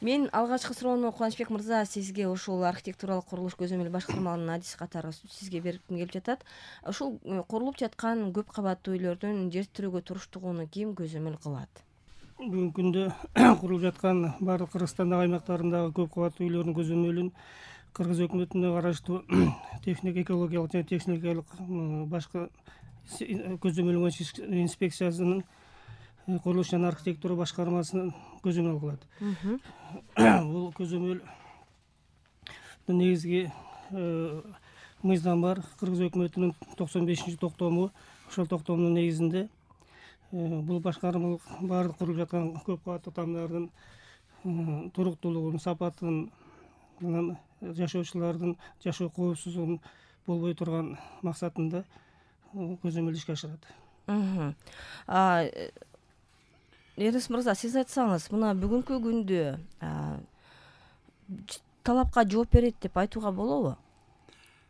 Мен алгачкы суроону Кубанычбек мырза сизге ушул архитектуралык курулуш көзөмөл башкармалынын адиси катары сизге берким келип жатат. Ушул курулуп жаткан көп кабаттуу үйлөрдүн жетиштирүүгө туруштугуну ким көзөмөл кылат? Бүгүнкү күндө курулуп жаткан баардык Кыргызстандагы аймактарындагы көп кабаттуу үйлөрдүн көзөмөлүн Кыргыз өкмөтүнө караштуу экологиялык жана техникалык башка көзөмөл инспекциясынын курулуш жана архитектура башкармасынын көзөмөл кылат. Бул көзөмөл негизги мыйзам бар. Кыргыз өкмөтүнүн 95-токтому. Ошол токтомдун негизинде бул башкармалык баардык курулуп жаткан көп кабаттуу тамдардын туруктуулугун, сапатын менен жашоочулардын жашоо коопсуздугун болбой турган максатында көзөмөл ишке ашырат. Эрнис мырза, сиз айтсаңыз, мына бүгүнкү күндө талапка жооп берет деп айтууга болобу?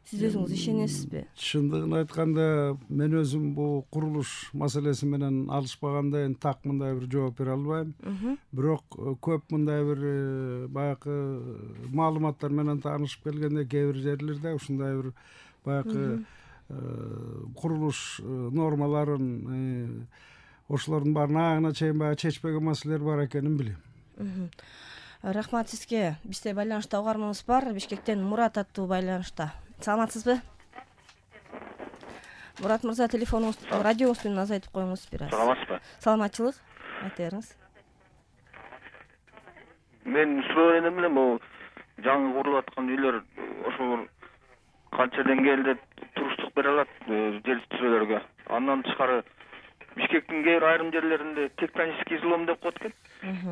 Сиз өзүңүз ишенесизби? Чындыгын айтканда, мен өзүм бул курулуш маселеси менен алышпагандай так мындай бир жооп бере албайм. Бирок көп мындай бир баягы маалыматтар менен таанышып келгенде кээ бир жерлерде ушундай бир баягы курулуш нормаларын ошолордун баарын аягына чейин баягы чечпеген маселелер бар экенин билем. Рахмат сизге. Бизде байланышта угарманыбыз бар. Бишкектен Мурат аттуу байланышта. Саламатсызбы? Мурат мырза, телефонуңуз, радиоңузду азайтып коюңуз бир аз. Саламатсызбы? Саламатчылык. Айта бериңиз. Мен суроо элем бул жаңы курулуп аткан үйлөр ошол канча деңгээлде туруштук бере алат жетиштирүүлөргө? Андан тышкары Бишкектин кээ бир айрым жерлеринде тектонический излом деп коет экен.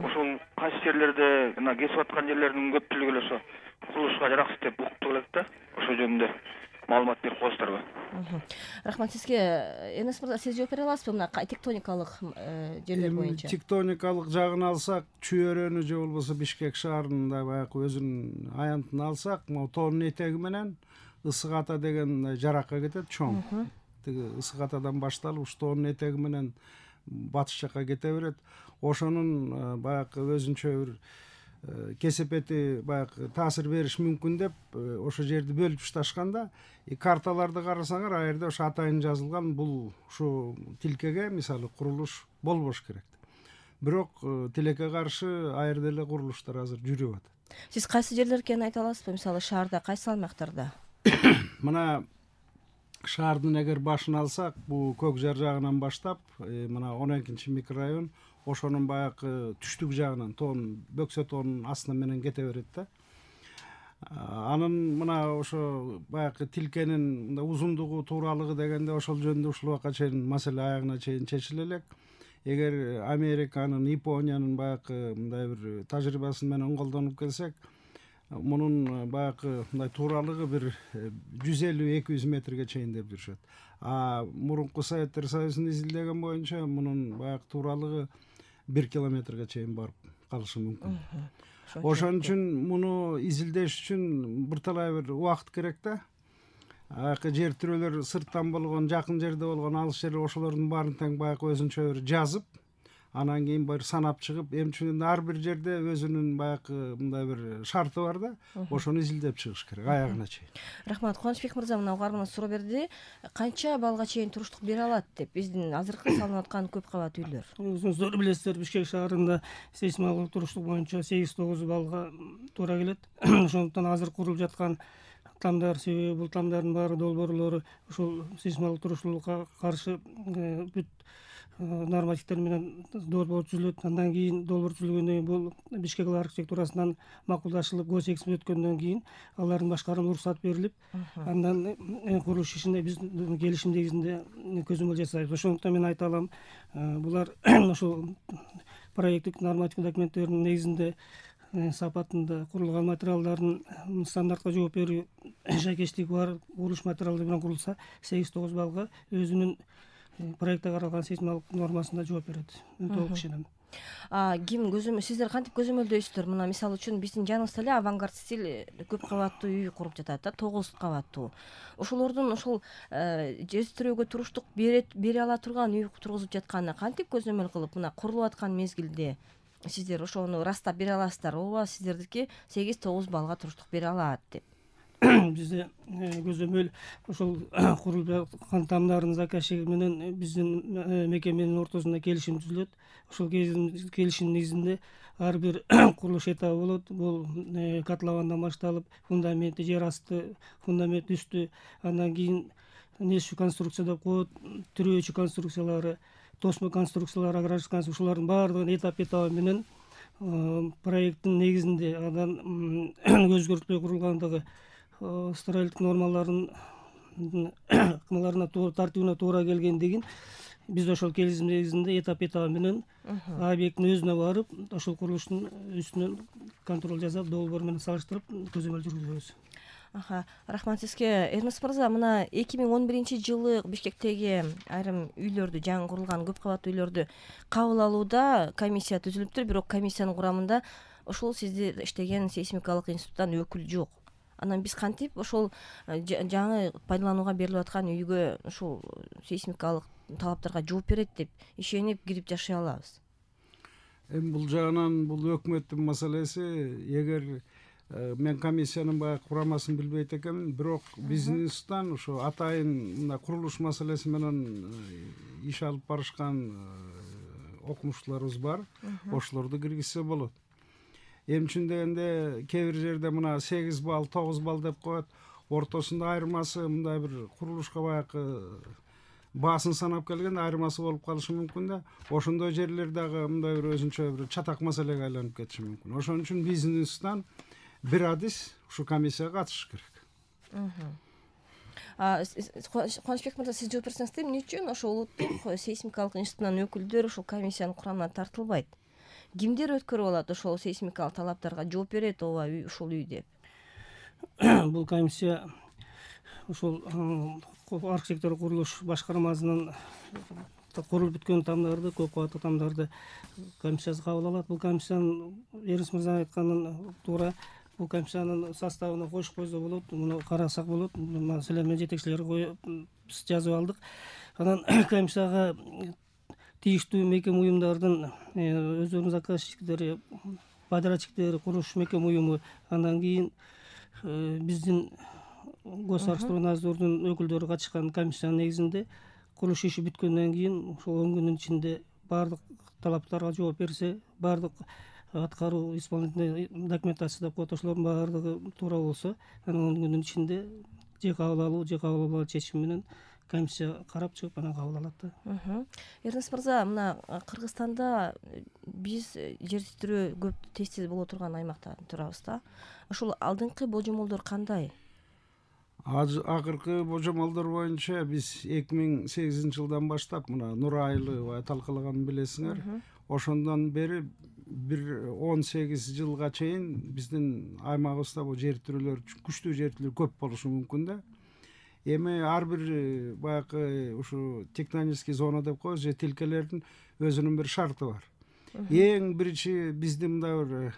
Ошол кайсы жерлерде кесип аткан жерлердин көпчүлүгү эле ошо курулушка жараксыз деп уктук элек да. Ошол жөнүндө маалымат берип коесуздарбы? Рахмат сизге. Эрнис мырза, сиз жооп бере аласызбы мына тектоникалык жерлер боюнча? Тектоникалык жагын алсак, Чүй-өрөөнү же болбосо Бишкек шаарында баягы өзүнүн аянтын алсак, могу тоонун этеги менен Ысык ата деген жаракка кетет, чоң. Тиги Ысык атадан башталып, тоонун этеги менен батыш жакка кете берет. Ошонун баягы өзүнчө бир кесепети баягы таасир бериш мүмкүн деп ошол жерди бөлүп ташташканда, карталарды карасаңар, ал жерде ошо атайын жазылган бул ушу тилкеге мисалы курулуш болбош керек. Бирок тилекке каршы ал жерде эле курулуштар азыр жүрүп атат. Сиз кайсы жерлер экенин айта аласызбы? Мисалы шаарда кайсы аймактарда? Мына шаардын эгер башын алсак, бул Көк Жар жагынан баштап, мына 12 микрорайон, ошонун баягы түштүк жагынан, Бөксө тоонун астына менен кете берет да. Анын мына ошо баягы тилкенин узундугу, тууралыгы дегенде ошол жөнүндө ушул убакка чейин маселе аягына чейин чечиле элек. Эгер Американын, Япониянын баягы мындай бир тажрыйбасы менен колдонуп келсек, мунун баягы мындай тууралыгы бир 150-200 метрге чейин деп жүрүшөт. Мурунку Советтер Союзун изилдеген боюнча мунун баягы тууралыгы 1 километрге чейин барып калышы мүмкүн. Ошон үчүн муну изилдеш үчүн бирталай бир убакыт керек да. Жер тирөөлөр сырттан болгон, жакын жерде болгон, алыс жер, ошолордун баарын тең баягы өзүнчө бир жазып, анан кийин бир санап чыгып, эмчүгүн ар бир жерде өзүнүн баягы мындай бир шарты бар да, ошону изилдеп чыгыш керек аягына чейин. Рахмат. Кубанычбек мырза мына угарманыбыз суроо берди. Канча балга чейин туруштук бере алат деп биздин азыркы салынып аткан көп кабат үйлөр? Өзүңүздөр билесиздер, Бишкек шаарында сейсмологиялык туруштук боюнча 8-9 балга туура келет. Ошондуктан азыр курулуп жаткан тамдар, себеби бул тамдардын баары долбоорлору ушул сейсмологиялык туруштуулукка каршы бүт нормативдер менен долбоор түзүлөт. Андан кийин долбоор түзүлгөндөн кийин бул Бишкек архитектурасынан макулдашылып, госэкспи өткөндөн кийин алардын башкарууна уруксат берилип, андан курулуш ишине биз келишим негизинде көзөмөл жасайбыз. Ошондуктан мен айта алам, булар ошол проекттик нормативдик документтердин негизинде сапатында курулган материалдардын стандартка жооп берүү жайкечтиги бар курулуш материалдары менен курулса, 8-9 балга өзүнүн проектте каралган сейсмологиялык нормасында жооп берет. Толук ишенем. Ким сиздер кантип көзөмөлдөйсүздөр? Мына мисалы үчүн биздин жаныбызда эле авангард стиль көп кабаттуу үй куруп жатат да, 9 кабаттуу. Ошолордун ошол жетиштирүүгө туруштук бере ала турган үй тургузуп жатканына кантип көзөмөл кылып, мына курулуп аткан мезгилде сиздер ошону ырастап бере аласыздар, ооба сиздердики 8-9 баллга туруштук бере алат деп. Бизде көзөмөл ошол курулуп жаткан тамдардын заказчиги менен биздин мекеменин ортосунда келишим түзүлөт. Ошол келишимдин негизинде ар бир курулуш этабы болот. Бул котловандан башталып, фундаменти, жер асты, фундамент үстү, андан кийин несчү конструкция деп коет, тирөөчү конструкциялары, тосмо конструкциялары, огражденный конструкция, ушулардын баардыгын этап менен проекттин негизинде андан өзгөртпөй курулгандыгы, строительдик нормаларынын тартибине туура келгендигин биз ошол келишим негизинде этап менен объекттин өзүнө барып, ошол курулуштун үстүнөн контроль жасап, долбоор менен салыштырып көзөмөл жүргүзөбүз. Рахмат сизге. Эрнест мырза, мына 2011-жылы Бишкектеги айрым үйлөрдү, жаңы курулган көп кабаттуу үйлөрдү кабыл алууда комиссия түзүлүптүр, бирок комиссиянын курамында ошол сиздер иштеген сейсмикалык институттан өкүл жок. Анан биз кантип ошол жаңы пайдаланууга берилип аткан үйгө ушул сейсмикалык талаптарга жооп берет деп ишенип кирип жашай алабыз? Эми бул жагынан бул өкмөттүн маселеси. Эгер мен комиссиянын баягы курамасын билбейт экенмин, бирок биздин институттан ошо атайын мына курулуш маселеси менен иш алып барышкан окумуштууларыбыз бар. Ошолорду киргизсе болот. Эмчүн дегенде кээ бир жерде мына 8 балл, 9 балл деп коет. Ортосунда айырмасы мындай бир курулушка баягы баасын санап келгенде айырмасы болуп калышы мүмкүн да. Ошондой жерлер дагы мындай бир өзүнчө бир чатак маселеге айланып кетиши мүмкүн. Ошон үчүн биздин институттан бир адис ушу комиссияга катышыш керек. Кубанычбек мырза, сиз жооп берсеңиздер, эмне үчүн ошол улуттук сейсмикалык институттун өкүлдөр ушул комиссиянын курамына тартылбайт? Кимдер өткөрүп алат ошол сейсмикалык талаптарга жооп берет, ооба ушул үй деп? Бул комиссия ошол архитектура курулуш башкармасынын курулуп бүткөн тамдарды, көп кабаттуу тамдарды комиссиясы кабыл алат. Бул комиссиянын Эрнест мырза айтканын туура, бул комиссиянын составына коюшуп койсо болот, муну карасак болот. Маселен, мен жетекчилерге жазып алдык. Анан комиссияга тийиштүү мекеме уюмдардын өздөрүнүн заказчиктери, подрядчиктери, курулуш мекеме уюму, андан кийин биздин Госархитектурнадзордун өкүлдөрү катышкан комиссиянын негизинде курулуш иши бүткөндөн кийин ошол 10 күндүн ичинде баардык талаптарга жооп берсе, баардык аткаруу исполнительный документация деп коет, ошолордун баардыгы туура болсо, анан 10 күндүн ичинде же кабыл алуу, же кабыл албоо чечим менен комиссия карап чыгып анан кабыл алат да. Эрнест мырза, мына Кыргызстанда биз жер титирөө көп тез боло турган аймакта турабыз да. Ошол алдыңкы божомолдор кандай? Акыркы божомолдор боюнча биз 2008-жылдан баштап мына Нур Айылы талкалаганын билесиңер. Ошондон бери бир 18 жылга чейин биздин аймагыбызда бул жер титирөөлөр, күчтүү жер титирөөлөр көп болушу мүмкүн да. Эми ар бир баягы ушу тектонический зона деп коебуз, же тилкелердин өзүнүн бир шарты бар. Эң биринчи бизди мындай бир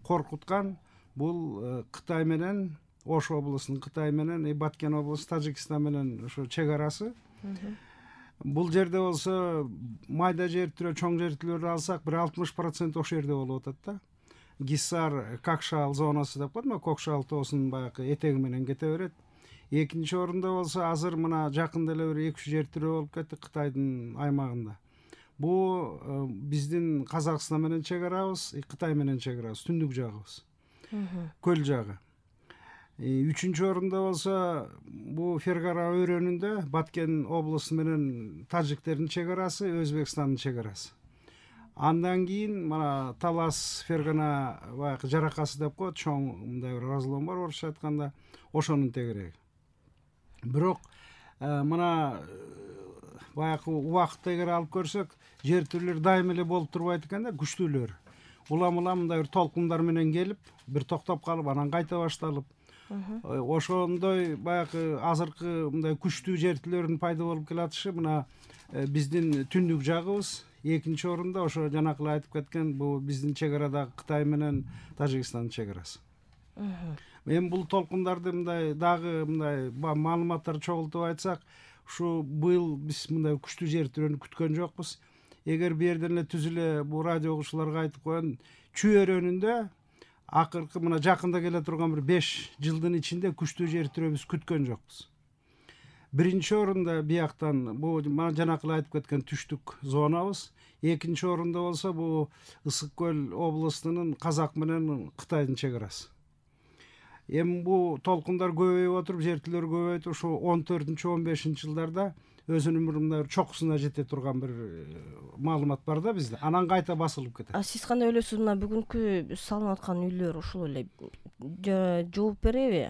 коркуткан бул Кытай менен, Ош облусунун Кытай менен, Баткен облусу Тажикстан менен ошо чек арасы. Бул жерде болсо майда жер титирөө, чоң жер титирөөлөрдү алсак, бир 60% ошол жерде болуп атат да. Гиссар Какшал зонасы деп коет, Кокшал тоосунун баягы этеги менен кете берет. Экинчи орунда болсо азыр мына жакында эле бир 2 жер титирөө болуп кетти Кытайдын аймагында. Бул биздин Казакстан менен чек арабыз, Кытай менен чек арабыз, түндүк жагыбыз, көл жагы. Үчүнчү орунда болсо бул Фергара өрөөнүндө Баткен облусу менен тажиктердин чек арасы, Өзбекстандын чек арасы. Андан кийин мына Талас Фергана баягы жаракасы деп коет, чоң мындай бир разлом бар орусча айтканда, ошонун тегереги. Бирок мына баягы убакытты эгер алып көрсөк, жер титирөөлөр дайым эле болуп турбайт экен да, күчтүүлөр. Улам мындай бир толкундар менен келип, бир токтоп калып, анан кайта башталып. Ошондой баягы азыркы мындай күчтүү жер титирөөлөрдүн пайда болуп келатышы мына биздин түндүк жагыбыз. Экинчи орунда ошо жанакы эле айтып кеткен бул биздин чек арадагы Кытай менен Тажикстандын чек арасы. Эми бул толкундарды мындай дагы мындай маалыматтар чогултуп айтсак, ушу быйыл биз мындай күчтүү жер титирөөнү күткөн жокпуз. эгер бу жерден эле түзүлө бу радио угуучуларга айтып коеюн, чүйөрөнүндө акыркы мына жакында келе турган бир 5 жылдын ичинде күчтүү жер тирөөбүз күткөн жокпуз. Биринчи орунда бияктан бул жанакы айтып кеткен түштүк зонабыз, экинчи орунда болсо бул Ысык көл областынын Казак менен Кытайдын чек арасы. Эми бул толкундар көбөйүп отуруп, жертөлөр көбөйүп, ошо 14-15 жылдарда өзүнүн мындай чокусуна жете турган бир маалымат бар да бизде. Анан кайта басылып кетет. Сиз кандай ойлойсуз, мына бүгүнкү салынып аткан үйлөр ушул эле жооп береби?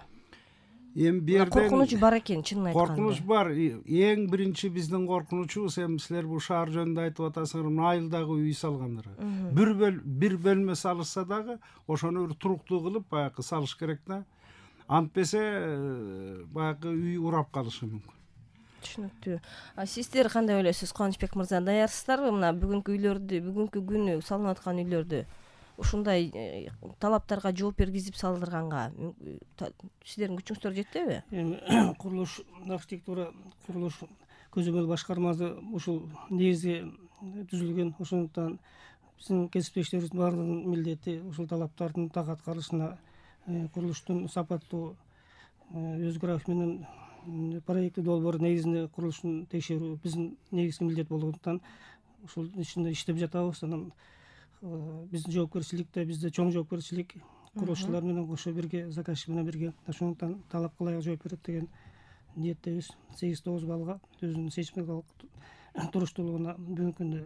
Эми бу жерден коркунуч бар экен, чынын айтканда. Коркунуч бар. Эң биринчи биздин коркунучубуз, эми силер бул шаар жөнүндө айтып атасыңар, айылдагы үй салгандар. Бир бөлмө салышса дагы ошону бир туруктуу кылып баягы салыш керек да. Антпесе баягы үй урап калышы мүмкүн. Түшүнүктүү. Сиздер кандай ойлойсуз, Кубанычбек мырза? Даярсыздарбы мына бүгүнкү үйлөрдү, бүгүнкү күнү салынып аткан үйлөрдү ушундай талаптарга жооп бергизип салдырганга сиздердин күчүңүздөр жетеби? Эми курулуш архитектура курулуш көзөмөл башкармасы ушул негизи түзүлгөн. Ошондуктан биздин кесиптештерибиздин баардыгынын милдети ушул талаптардын так аткарылышына, курулуштун сапаттуу өз график менен проекти долбоор негизинде курулуштун текшерүү биздин негизги милдет болгондуктан ушул ичинде иштеп жатабыз. Анан биздин жоопкерчиликте, бизде чоң жоопкерчилик курулушчулар менен кошо бирге, заказчик менен бирге. Ошондуктан талапка ылайык жооп берет деген ниеттебиз. 8-9 баллга өзүнүн сейсмикалык туруштуулугуна бүгүнкү күндө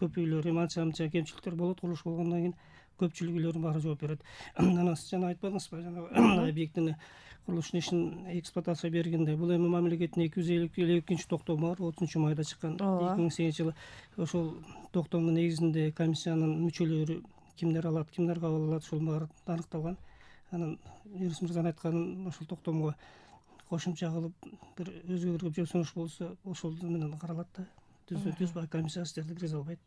көп үйлөр анча кемчиликтер болот. Курулуш болгондон кийин көпчүлүк үйлөрдүн баары жооп берет. Анан сиз жана айтпадыңызбы, жанагы объектини курулуштун ишин эксплуатацияга бергенде бул эми мамлекеттин 252 токтому бар, 30 майда чыккан 2008 жылы. Ошол токтомдун негизинде комиссиянын мүчөлөрү кимдер алат, кимдер кабыл алат, ушул баары аныкталган. Анан Юрис мырзанын айтканын ошол токтомго кошумча кылып бир өзгөртүү же сунуш болсо ошол менен каралат да. Түз комиссия сиздерди киргизе албайт.